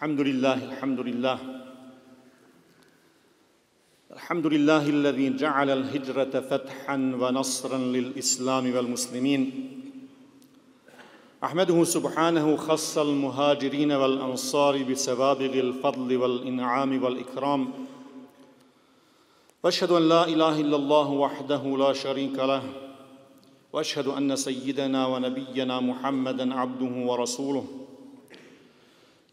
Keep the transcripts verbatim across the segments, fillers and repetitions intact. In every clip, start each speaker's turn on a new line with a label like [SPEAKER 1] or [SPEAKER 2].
[SPEAKER 1] الحمد لله الحمد لله الحمد لله الذي جعل الهجرة فتحا ونصرا للإسلام والمسلمين أحمده سبحانه خص المهاجرين والأنصار بسوابغ الفضل والإنعام والإكرام وأشهد أن لا إله إلا الله وحده لا شريك له وأشهد أن سيدنا ونبينا محمدا عبده ورسوله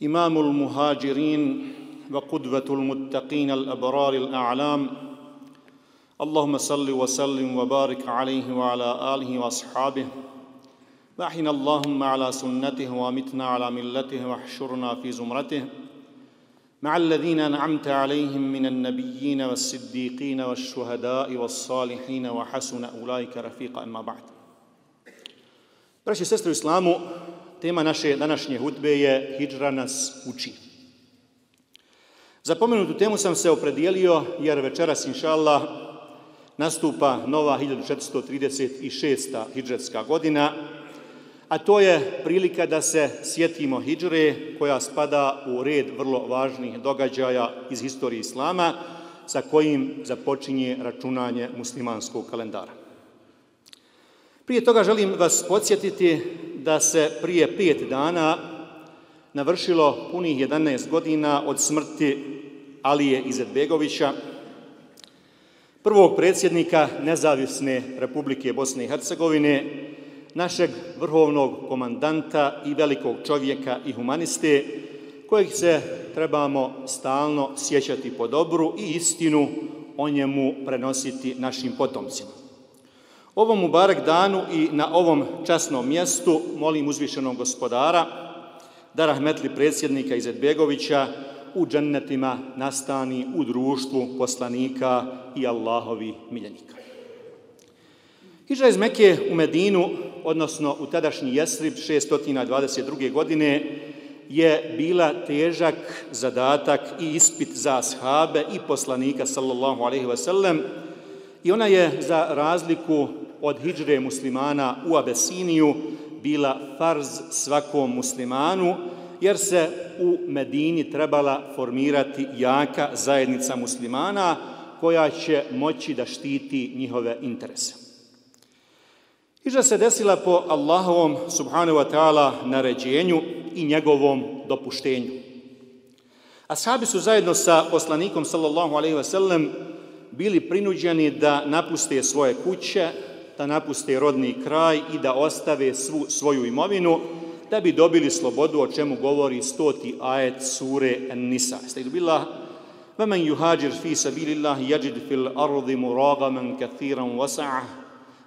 [SPEAKER 1] إمام المهاجرين وقدوة المتقين الأبرار الأعلام اللهم صل وسلم وبارك عليه وعلى آله وأصحابه وأحينا اللهم على سنته وامتنا على ملته واحشرنا في زمرته مع الذين أنعمت عليهم من النبيين والصديقين والشهداء والصالحين وحسن أولئك رفيقا أما بعد. Braći i sestre u Islamu, tema naše današnje hutbe je Hidžra nas uči. Za pomenutu temu sam se opredijelio jer večeras, inša Allah, nastupa nova hiljadu četiristo trideset šesta hidžretska godina, a to je prilika da se sjetimo hidžre koja spada u red vrlo važnih događaja iz historije Islama sa kojim započinje računanje muslimanskog kalendara. Prije toga želim vas podsjetiti da se prije pet dana navršilo punih jedanaest godina od smrti Alije Izetbegovića, prvog predsjednika Nezavisne Republike Bosne i Hercegovine, našeg vrhovnog komandanta i velikog čovjeka i humaniste, kojeg se trebamo stalno sjećati po dobru i istinu o njemu prenositi našim potomcima. Ovom Mubarek danu i na ovom časnom mjestu molim uzvišenog gospodara da rahmetli predsjednika Izetbegovića u džennetima nastani u društvu poslanika i Allahovi miljenika. Hidžra iz Mekke u Medinu, odnosno u tadašnji Jesrib šesto dvadeset druge. godine, je bila težak zadatak i ispit za ashabe i poslanika sallallahu alejhi ve sellem i ona je za razliku od hidžre muslimana u Abesiniju bila farz svakom muslimanu, jer se u Medini trebala formirati jaka zajednica muslimana koja će moći da štiti njihove interese. Hidžra se desila po Allahovom subhanahu wa ta'ala naređenju i njegovom dopuštenju. Ashabi su zajedno sa poslanikom sallallahu alejhi ve sellem bili prinuđeni da napuste svoje kuće, da napuste rodni kraj i da ostave svu svoju imovinu da bi dobili slobodu, o čemu govori stoti ajet sure An-Nisa. Estagfirullah. وَمَنْ يُهَاجِرْ فِي سَبِيلِ اللَّهِ يَجِدْ فِي الْأَرْضِ مُرَاغَمًا كَثِيرًا وَسَعَةً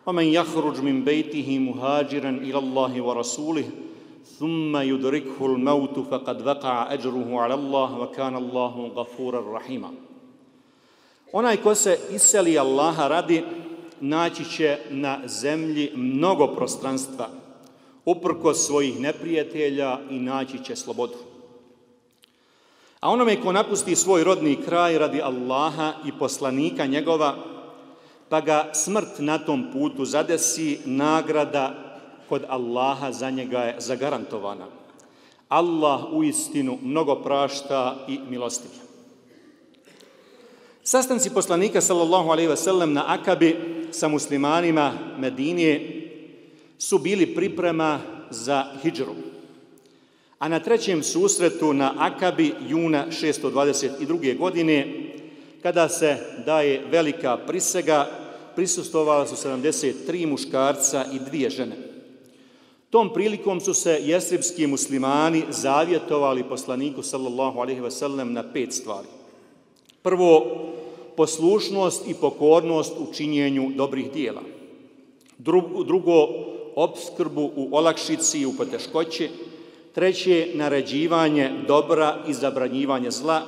[SPEAKER 1] وَمَنْ يَخْرُجْ مِنْ بَيْتِهِ مُهَاجِرًا إِلَى اللَّهِ وَرَسُولِهِ ثُمَّ يُدْرِكْهُ الْمَوْتُ فَقَدْ وَقَعَ أَجْرُهُ عَلَى اللَّهِ وَكَانَ اللَّهُ غَفُورًا رَحِيمًا. Onaj ko se iseli Allaha radi, naći će na zemlji mnogo prostranstva, uprkos svojih neprijatelja, i naći će slobodu. A onome ko napusti svoj rodni kraj radi Allaha i poslanika njegova, pa ga smrt na tom putu zadesi, nagrada kod Allaha za njega je zagarantovana. Allah uistinu mnogo prašta i milostiv. Sastanci poslanika sallallahu alejhi ve sellem na Akabi sa muslimanima Medinije su bili priprema za hidžru. A na trećem susretu na Akabi juna šesto dvadeset druge. godine, kada se daje velika prisega, prisustvovala su sedamdeset tri muškarca i dvije žene. Tom prilikom su se jesribski muslimani zavjetovali poslaniku sallallahu alejhi ve sellem na pet stvari. Prvo, poslušnost i pokornost u činjenju dobrih dijela. Drugo, opskrbu u olakšici i u poteškoći. Treće, naređivanje dobra i zabranjivanje zla.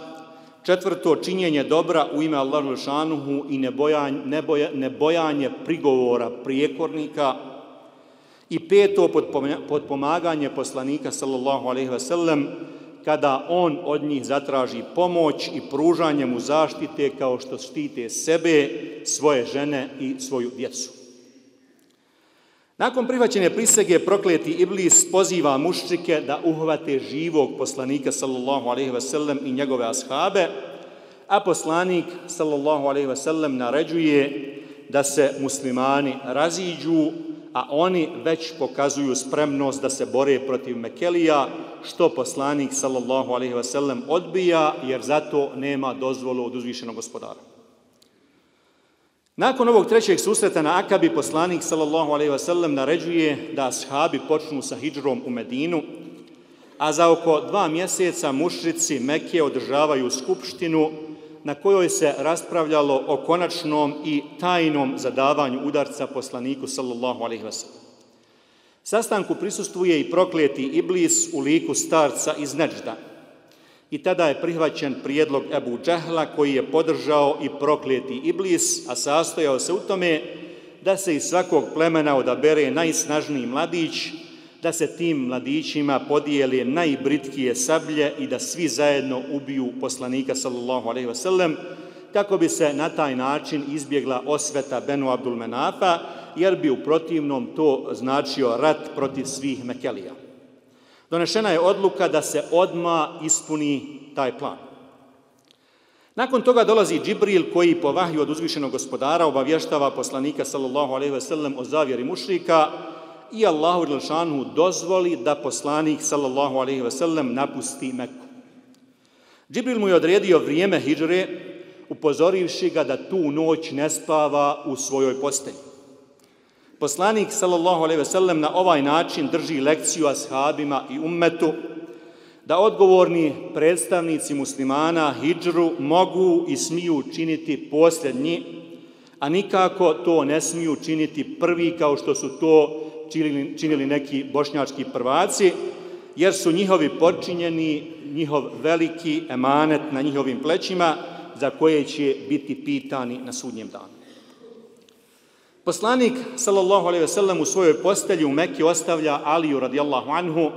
[SPEAKER 1] Četvrto, činjenje dobra u ime Allahu dželešanuhu i nebojanje, neboja, nebojanje prigovora prijekornika. I peto, potpomaganje poslanika sallallahu alejhi ve sellem kada on od njih zatraži pomoć i pružanje mu zaštite kao što štite sebe, svoje žene i svoju djecu. Nakon prihvaćene prisege prokleti Iblis poziva mušrike da uhvate živog poslanika sallallahu alejhi ve sellem i njegove ashabe, a poslanik sallallahu alejhi ve sellem naređuje da se muslimani raziđu, a oni već pokazuju spremnost da se bore protiv Mekelija, što poslanik sallallahu alejhi ve sellem odbija, jer zato nema dozvolu od uzvišenog gospodara. Nakon ovog trećeg susreta na Akabi, poslanik sallallahu alejhi ve sellem naređuje da ashabi počnu sa hidžrom u Medinu, a za oko dva mjeseca mušrici Mekke održavaju skupštinu na kojoj se raspravljalo o konačnom i tajnom zadavanju udarca poslaniku sallallahu alejhi ve sellem. Sastanku prisustvuje i prokleti Iblis u liku starca iz Neđda. I tada je prihvaćen prijedlog Ebu Džehla, koji je podržao i prokleti Iblis, a sastojao se u tome da se iz svakog plemena odabere najsnažniji mladić, da se tim mladićima podijele najbritkije sablje i da svi zajedno ubiju poslanika sallallahu alejhi ve sellem, kako bi se na taj način izbjegla osveta Benu Abdul Menafa, jer bi u protivnom to značio rat protiv svih Mekelija. Donešena je odluka da se odmah ispuni taj plan. Nakon toga dolazi Džibril, koji po vahju od uzvišenog gospodara obavještava poslanika sallallahu alejhi ve sellem o zavjeri mušrika i Allahu dželešanu dozvoli da poslanik sallallahu alejhi ve sellem napusti Meku. Džibril mu je odredio vrijeme hidžre, upozorivši ga da tu noć ne spava u svojoj postelji. Poslanik sallallahu alejhi ve sellem na ovaj način drži lekciju ashabima i ummetu da odgovorni predstavnici muslimana hidžru mogu i smiju činiti posljednji, a nikako to ne smiju činiti prvi kao što su to činili, činili neki bošnjački prvaci, jer su njihovi počinjeni, njihov veliki emanet na njihovim plećima, za koje će biti pitani na sudnjem danu. Poslanik sallallahu alejhi ve sellem u svojoj postelji u Mekki ostavlja Aliju radijallahu anhu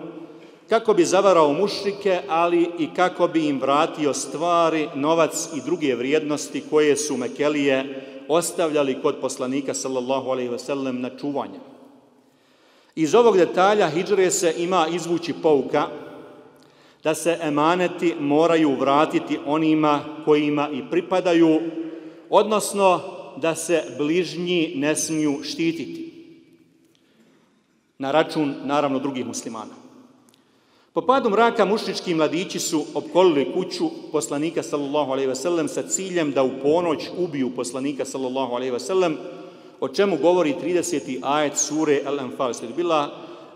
[SPEAKER 1] kako bi zavarao mušrike, ali i kako bi im vratio stvari, novac i druge vrijednosti koje su Mekelije ostavljali kod poslanika sallallahu alejhi ve sellem na čuvanje. Iz ovog detalja hidžre se ima izvući pouka da se emaneti moraju vratiti onima kojima i pripadaju, odnosno da se bližnji ne smiju štititi na račun, naravno, drugih muslimana. Po padu mraka mušrički mladići su opkolili kuću poslanika sallallahu alejhi ve sellem sa ciljem da u ponoć ubiju poslanika sallallahu alejhi ve sellem, o čemu govori trideseti ajet sure Al-Anfal. Bila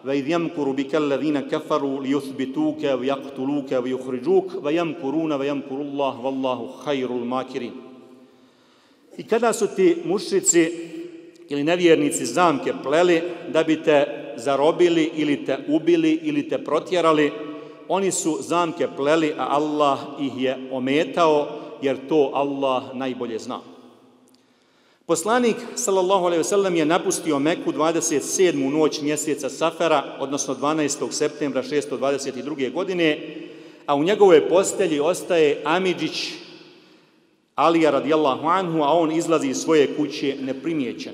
[SPEAKER 1] وَإِذْ يَمْكُرُ بِكَ الَّذِينَ كَفَرُوا لِيُثْبِتُوكَ وَيَقْتُلُوكَ وَيُخْرِجُوكَ وَيَمْكُرُونَ وَيَمْكُرُ اللَّهُ وَاللَّهُ خَيْرُ الْمَاكِرِينَ. I kada su ti mušrici ili nevjernici zamke pleli da bi te zarobili ili te ubili ili te protjerali, oni su zamke pleli, a Allah ih je ometao, jer to Allah najbolje zna. Poslanik sallallahu alejhi ve sellem je napustio Meku dvadeset sedmu noć mjeseca Safera, odnosno dvanaestog septembra šesto dvadeset druge. godine, a u njegovoj postelji ostaje Amidžić Alija radijallahu anhu, a on izlazi iz svoje kuće neprimjećen.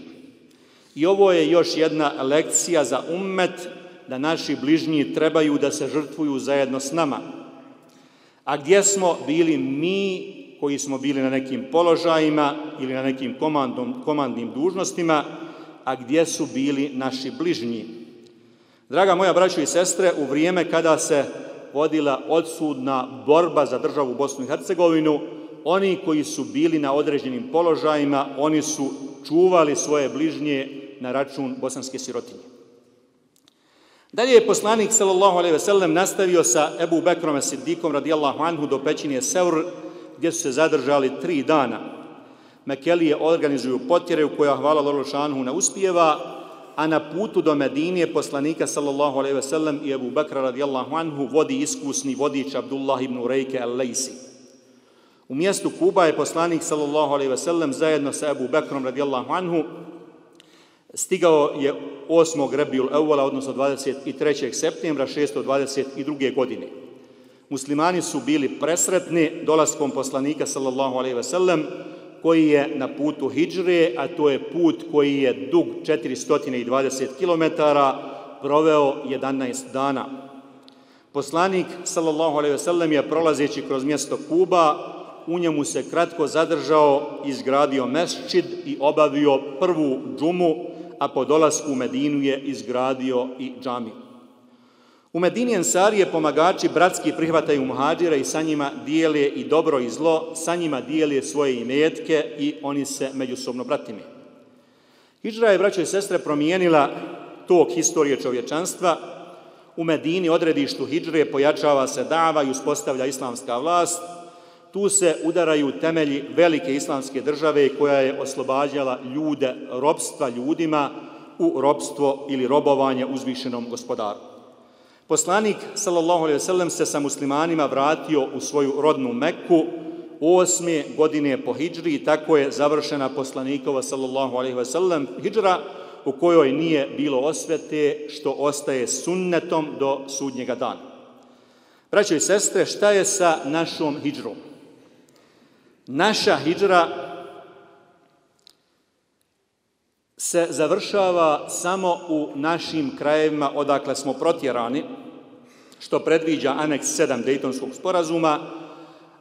[SPEAKER 1] I ovo je još jedna lekcija za ummet, da naši bližnji trebaju da se žrtvuju zajedno s nama. A gdje smo bili mi koji smo bili na nekim položajima ili na nekim komandom, komandnim dužnostima, a gdje su bili naši bližnji? Draga moja braćo i sestre, u vrijeme kada se vodila odsudna borba za državu Bosnu i Hercegovinu, oni koji su bili na određenim položajima, oni su čuvali svoje bližnje na račun bosanske sirotinje. Dalje je poslanik sallallahu alejhi ve sellem nastavio sa Ebu Bekrom Siddikom radijallahu anhu do pećine Seur, gdje su se zadržali tri dana. Mekelije organizuju potjere u koja, hvala Allahu dželešanu, ne uspijeva, a na putu do Medine poslanika sallallahu alejhi ve sellem i Ebu Bekra radijallahu anhu vodi iskusni vodič Abdullah ibn Urejke al-Lejsi. U mjestu Kuba je poslanik sallallahu alejhi ve sellem zajedno sa Ebu Bekrom radijallahu anhu stigao je osmog Rebijul Evvala, odnosno dvadeset trećeg septembra šesto dvadeset druge. godine. Muslimani su bili presretni dolaskom poslanika sallallahu alejhi ve sellem, koji je na putu hidžre, a to je put koji je dug četiristo dvadeset kilometara, proveo jedanaest dana. Poslanik, sallallahu alejhi ve sellem, je prolazeći kroz mjesto Kuba, u njemu se kratko zadržao, izgradio mesdžid i obavio prvu džumu, a po dolasku u Medinu je izgradio i džamiju. U Medini ensarije pomagači bratski prihvataju muhadžire i sa njima dijele i dobro i zlo, sa njima dijele svoje imetke i oni se međusobno bratime. Hidžra je, braćo i sestre, promijenila tok historije čovječanstva. U Medini, odredištu hidžre, pojačava se dava i uspostavlja islamska vlast. Tu se udaraju temelji velike islamske države koja je oslobađala ljude ropstva ljudima u ropstvo ili robovanje uzvišenom gospodaru. Poslanik, sallallahu alejhi ve sellem, se sa muslimanima vratio u svoju rodnu Meku osme godine po hidžri i tako je završena poslanikova, sallallahu alejhi ve sellem, hidžra u kojoj nije bilo osvete, što ostaje sunnetom do sudnjega dana. Braćo i sestre, šta je sa našom hidžrom? Naša hidžra se završava samo u našim krajevima odakle smo protjerani, što predviđa aneks sedam Dejtonskog sporazuma,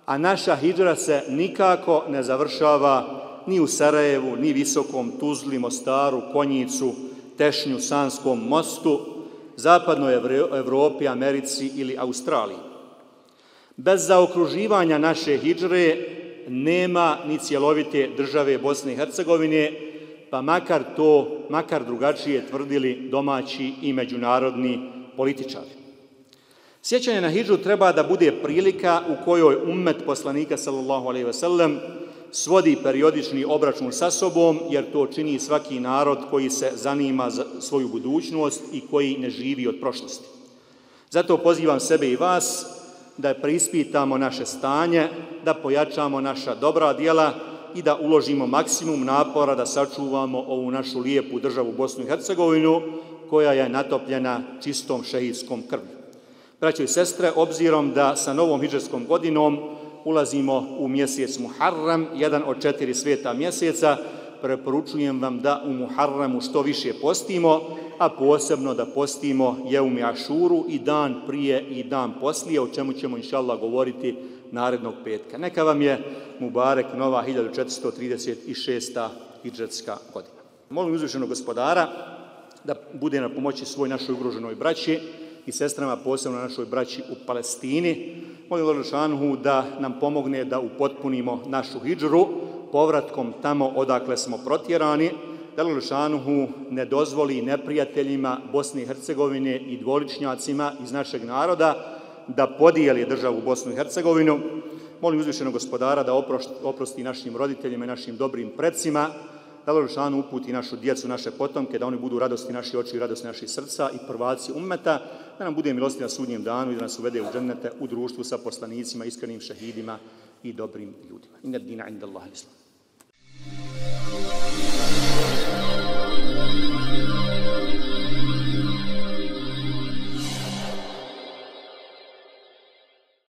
[SPEAKER 1] a naša hidžra se nikako ne završava ni u Sarajevu, ni Visokom, Tuzli, Mostaru, Konjicu, Tešnju, Sanskom mostu, zapadnoj Evropi, Americi ili Australiji. Bez zaokruživanja naše hidžre nema ni cjelovite države Bosne i Hercegovine, pa makar to, makar drugačije tvrdili domaći i međunarodni političari. Sjećanje na hidžru treba da bude prilika u kojoj ummet poslanika, sallallahu alejhi ve sellem, svodi periodični obračun sa sobom, jer to čini svaki narod koji se zanima za svoju budućnost i koji ne živi od prošlosti. Zato pozivam sebe i vas da preispitamo naše stanje, da pojačamo naša dobra djela i da uložimo maksimum napora da sačuvamo ovu našu lijepu državu Bosnu i Hercegovinu, koja je natopljena čistom šehidskom krvlju. Braćo i sestre, obzirom da sa novom hidžrskom godinom ulazimo u mjesec Muharram, jedan od četiri sveta mjeseca, preporučujem vam da u Muharramu što više postimo, a posebno da postimo Jeumi Ašuru i dan prije i dan poslije, o čemu ćemo inšallah govoriti narednog petka. Neka vam je mubarek nova hiljadu četiristo trideset šesta hidžretska godina. Molim uzvišenog gospodara da bude na pomoći svoj našoj ugroženoj braći i sestrama, posebno našoj braći u Palestini. Molim Allahu dželešanohu da nam pomogne da upotpunimo našu hidžru povratkom tamo odakle smo protjerani, da Allahu dželešanohu ne dozvoli neprijateljima Bosne i Hercegovine i dvoličnjacima iz našeg naroda da podijeli državu Bosnu i Hercegovinu. Molim uzvišenog gospodara da oprosti našim roditeljima i našim dobrim predsima, da Allahu dželešanohu uputi našu djecu, naše potomke, da oni budu radosti naši oči i radosti naših srca i prvaci ummeta, da nam bude milosti na sudnjem danu i da nas uvede u džennete u društvu sa poslanicima, iskrenim šehidima i dobrim ljudima. Inna dina inda Allahi l-Islam.